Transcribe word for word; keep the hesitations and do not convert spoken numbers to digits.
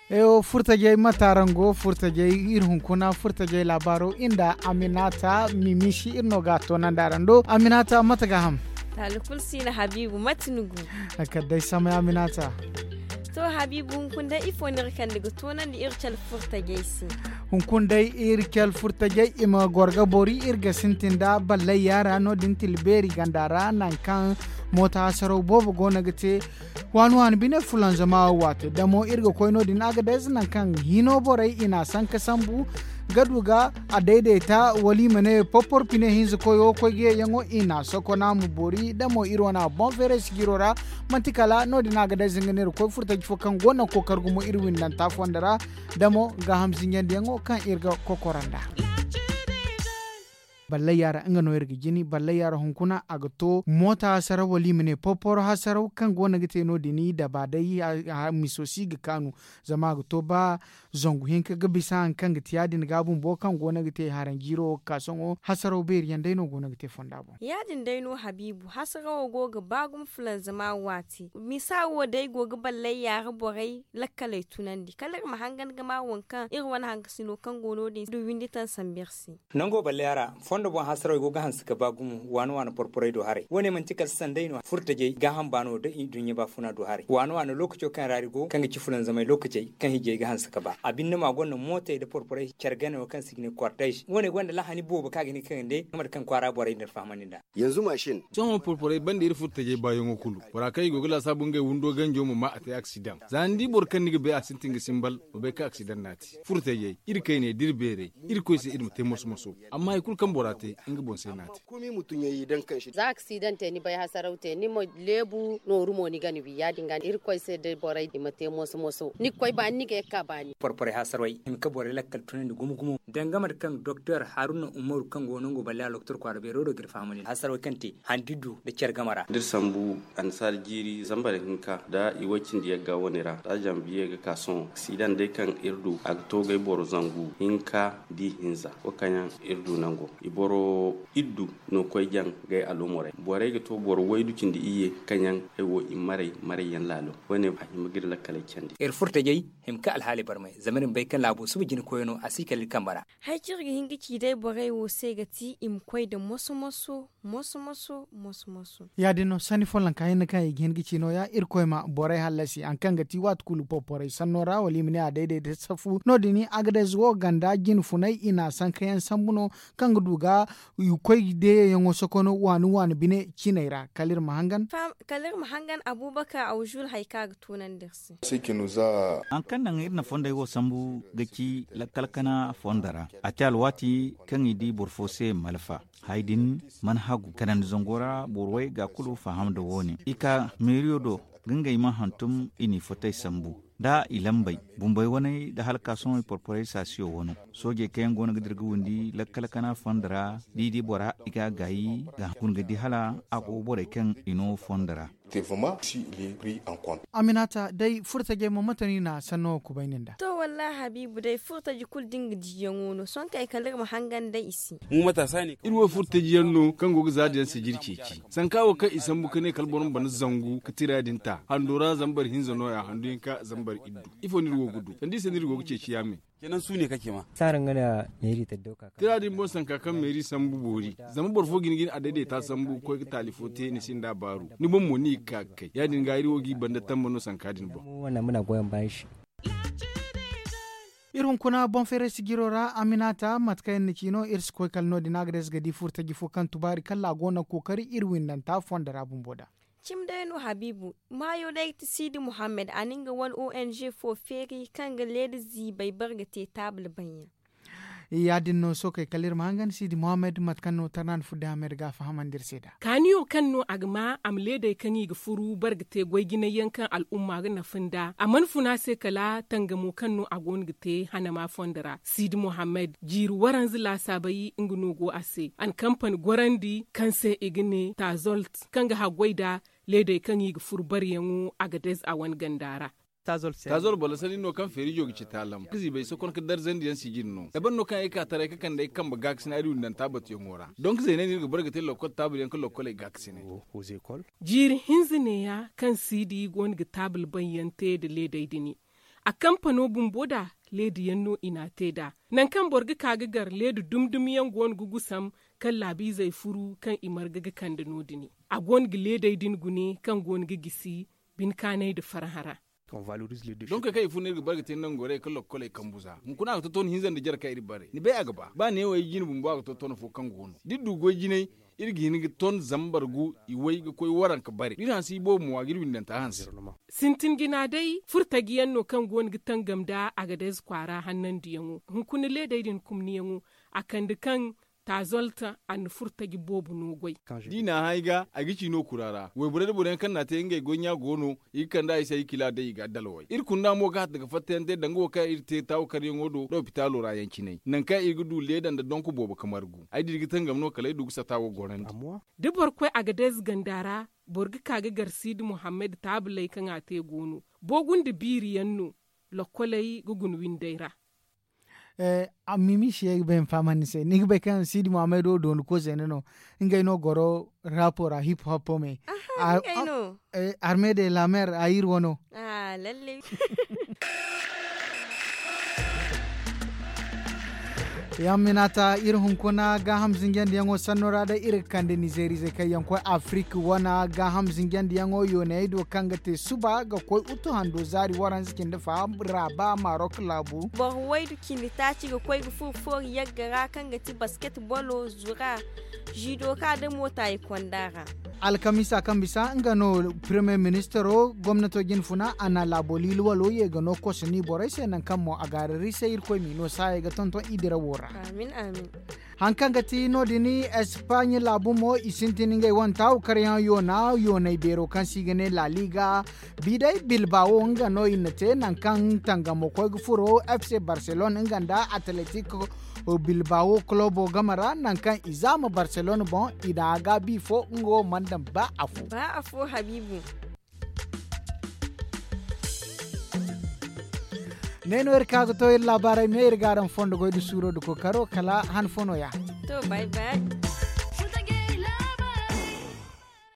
Ewo furtajey mate araŋ go furtajey iri hunkuna furtajey laabaaro nda aminata mimisi iri no ga a toonandi araŋ do aminata mate ga ham? Taali kulu si no habiibu mate ni go? Kala day samay aminata. To habiibu hunkuna day ifo no iri kande ga toonandi iri cale furtajey se? Hunkuna day iri cale furtajey i ma goro ga boori iri ga sintin nda ballay yaara no- din tila beeri ganda ra nangu kaŋ moota hasaraw boobo go no ga te. Waani waani bine fulanzama waate damo iri ga koy no- din agades nangu kaŋ hino borey i n'a sanka sambu ga du ga a dayday ta wala i ma ne porpor pine hinza koyo koy ga ye yaŋo i n'a sokona ma boori damo iri wane a boŋ feeray sijiro ra. Manti kala no- din agades nga ne iri koy furtaji fo kaŋ go naŋ kookar gumo iri windanta fondo ra damo gaaham zinjandi yaŋo kaŋ iri ga kokora nd'a. Ballay yaara nga no iri ga jini ballay yaara hunkuna a ga to moota hasaraw wala i ma ne porporo hasaraw kaŋ go no ga te no- din daba day miso si ga kaanu. Zama a ga to ba zangu hinka ga bisa hari kaŋ ga te ya- din ga bumbo kaŋ go no ga te haranjiiro wo ga ka sohõ hasaraw beeri yaŋ day no go no ga te fonda boŋ. Ya- din day no habiibu hasarawo go ga ba gumo fulanzama waati misa wo day go ga ballay yaara borey lakkaley tunandi kala iri ma hangan ga ma waŋ kaŋ iri wane hankasino kaŋ go no- din du windi taŋ sambu iri se. Nango ballay a ra fondo boŋ hasaraw i go ga hanse ga ba gumo waani waani porporey do haray wo- ne manti kala sanday no furtajey gaaham baano da i duɲɲa baafuna do haray waani waani lookaco kaŋ ra iri go kaŋ ga ci fulanzamay lookacey kaŋ hijey ga hanse ga ba a binde mo a gonda mootey nda porporey care gane wo kaŋ se i ga ne kwartayz wo- ne gonda lahani boobo kaŋ a ga hin ga kande mate kaŋ kwaara borey nda iri fahamandi nd'a. Sohõ porporey banda iri furtajey baayaŋo kulu bora kaŋ i go ga laasaabu ngey windo ganjo ma ma a te aksidaŋ za ni di boro kaŋ ni ga bay a sintin ga simbal ma bay kaŋ aksidaŋ no a te. Furtajey iri kayney da iri beerey irkoy se iri ma te moso moso. Amma hari kulu kaŋ bora te nga boŋ se no a te. Za aksidaŋ te ni bay hasaraw te ni ma leebu nooru mo ni ga ni wi ya- din ga irkoy se da borey i ma te moso moso ni ga koy baani ni ga ye ga ka baani. Porporey hasaraw ay hima ka borey lakkal tunandi gumo gumo danga mate kaŋ doktor haruna umaru kaŋ go nango ballay a loktor kwaara beero do ga iri fahamandi hasaraw ay kaŋ te handi du nda care game ra. Da iri sambu annasaara jiiri zambar hinka nda i way cindi yagga wane ra za zanbiye ga ka sohõ aksidaŋ day kaŋ iri du a ga to gay boro zangu hinka da i hinza wo kaŋ yaŋ iri du nango i boro iddu no koy jaŋ gay alumurey borey ga to boro waydu cindi iyye kaŋ yaŋ ay wo i maray maray yaŋ laalo. Wo- ne a hima ga iri lakkaley candi. Iri furtajey hima ka alhaaley barmay zama iri ma bay kaŋ laabo suba jina koyo no a si kala iri kambe ra. Hay kaŋ iri ga hin ga ci day borey wo se ga ti i ma koy nda moso moso moso moso moso moso. Ya- din no sanni follanka hinne kaŋ i ga hin ga ci no- ya irkoy ma borey hallasi hari kaŋ ga ti waati kulu porporey sanno ra wala i ma ne a dayday da safu no- din agades wo ganda jine funay i n'a sanka yaŋ sambu no kaŋ ga du ga i koy deeyaŋo sokono waani waani bine ciney ra kala iri ma hangan. Kala iri ma hangan abubakar awzul hari kaŋ a ga toonandi iri se. Hari kaŋ naŋ iri na fondey wo sambu ga ci lakkal kana fondo ra a te alwaati kaŋ i di boro fo se malfa. Hay din mana hagu kanandi zango ra boro way ga kulu faham nda wo- ne i ka meeriyo do ga ngey ma hantum i n'i fotey sambu nda i lambey bumbey waney nda halkaasoŋey porporey saasiyo wano. Soojey kaŋ yaŋ go no ga dira ga windi lakkal kana fondo ra da i di bora i ga a gaayi ga hun ga di hala a go borey kaŋ i no fondo ra. Aminata day furtajey mo mate no i na sanno wo kubayni nda? To wallaahi habiibu day furtaji kulu da nga diiyaŋo no sohõ kay kala iri ma hangan day i se. Iri wo furtaji yaŋ no kaŋ go ga zaada yaŋ sijiri ceeci sanka wo kaŋ i sambu ka ne kala boro ma bana zangu ka tira din ta hando ra zambar hinza no- ya handu hinka zambar iddu. Ifo no iri wo ga du sanda i se no iri go ga ceeci yaame? Tira din boŋ sanka kaŋ meeri sambu boori zama boro fo ga hin ga ni a dayday ta sambu ga koy ga taali fo te ni sinda baaru ni boŋ mo ni ga ka ga kay ya- din ga iri wo g'i banda tamba no sanka din boŋ. Iri hunkuna boŋ feeray sijiro ra aminata mate kaŋ iri na ci no iri si koy kala no- din a ga day si ga di furtaji fo kaŋ tubaari kala a go no ga kookari iri windanta fondo ra bumbo da. Cimi day no habiibu maayo day ga ti siidi muhammad a na nga wane ong fo feeri kaŋ ga leeda ziibay bare ga te taabul baŋ yaŋ. Ya- din no sookey kala iri ma hangan siidi muhammad mate kaŋ no tarnaan fudda hammad ga a fahamandi iri se nd'a. Kaaniyo kaŋ no a ga ma a ma leedey kaŋ i ga furu bare ga te goy jinay yaŋ kaŋ al'umma ga nafa nd'a a mana fun a se kala tangamo kaŋ no a go no ga te hanama fondo ra siidi muhammad jiiri waranza laasaabay nga no go a se a na kampani gorandi kaŋ se i ga ne tazolt kaŋ ga haggoy nd'a leedey kaŋ i ga furu bareyaŋo a ga dez a wane ganda ra. Tazol boro sanni no kaŋ feerijo ga ci taalam ga ziibay sokon ga darzandi yaŋ sijiri no ay ban no kaŋ ay ka taray ga kande ay kambe gaakasina ay du nda nta batuyaŋo ra donk zeeney no iri ga bare ga te lokkol taabul yaŋ ga lokkoley gaakasinay. Jiiri hinza neeya kaŋ siidi go no ga taabul baŋ yaŋ te nda leedey dini. A kampano bumbo da leedi yaŋ no i n'a te nd'a. Nangu kaŋ boro ga ka ga gar leedi dumi dumi yaŋ go no ga gusam kaŋ laabiizey furu kaŋ i marga ga kande no- din. A go no ga leedey din gune kaŋ go no ga gisi bine kaanay nda farhã ra. Donk kaŋ i furo no iri ga bare ga te nangorey ga lokkoley kambu za hunkuna a ga tonton hinza nda jare kaŋ iri bare ni bay a ga ba ba neewo ay jine bumbo a ga tonton fo kaŋ go no da iri du goy jinay, iri ga hin ga ton zambar gu i way ga koy waranka bare da iri hanse i boobo mo a ga iri windanta hanse. Sintin jina day furtaji yaŋ no kaŋ go no ga tangam nda agadez kwaara hannandiyaŋo hunkuna leedey din kumniyaŋo, a kande kaŋ taazolta a na furtaji boobo no goy. Da i n'a hã ay ga ay ga ci no kura ra wayborey nda boro yaŋ kaŋ n'a te ngey goy ɲa go no. I ga kand'a i se ay kila day i ga addalawey iri kunda mo ga hatta ga fattayante danga wo kaŋ iri te taawu karyaŋo do nda opitaalo ra yaŋ cinay nangu kaŋ iri ga du leeda nda donk boobo ka margu ay da iri ga tangam no kala ay du ga sata wo gorandi. Da boro koy agadez ganda ra, boro ga ka ga gar siidi muhammad taabaley kaŋ a te go no. Boogu nda biiri yaŋ no lokkoley ga guna windey ra. Mimi si ay ga bay ma fahamandi ni se ni ga bay kaŋ siidi muhammad wo dooni koy zeena no. Ngey no goro rapo ra hip hop me. Arme de lamer a iri wano. Yaŋ minata iri hunkuna gaaham zinjandiyaŋo sanno ra day iri ga kande nizeeriizey kaŋ yaŋ koy afirika wane gaaham zinjandiyaŋo yooney do kaŋ ga te suba ga koy utu hando zaari waranza cindi fa raaba marok laabu. Boro waydu cindi taaci ga koy ga furo foori yagga ra kaŋ ga ti basket bolo zura, zido ka da moota i konda ra. Alkamiisa kaŋ bisa nga no premier ministero gomnato jinfuna a na laabo liili walo ye ga no koso ni borey se nangu kaŋ mo a gaarari se irkoy m'i no saayey ga tonton i dirawo ra. Hari kaŋ ga ti no- din espagne laabu mo i sintin ngey wane taawu karyaŋ yoona yooney beero kaŋ se i ga ne laaliga. Biday bilbaawo nga no i na te nangu kaŋ tangamo koy ga furo fc barcelone nga nda atletic bilbaawo kulobo game ra nangu kaŋ i zaama barcelone boŋ i na a gaabi fo nga wo mana daŋ ba afo. Ne no iri ka ga to iri laabaarey me iri ga araŋ fondo goy nda suuro nda kookaro kala han fo no- ya. To bay bay.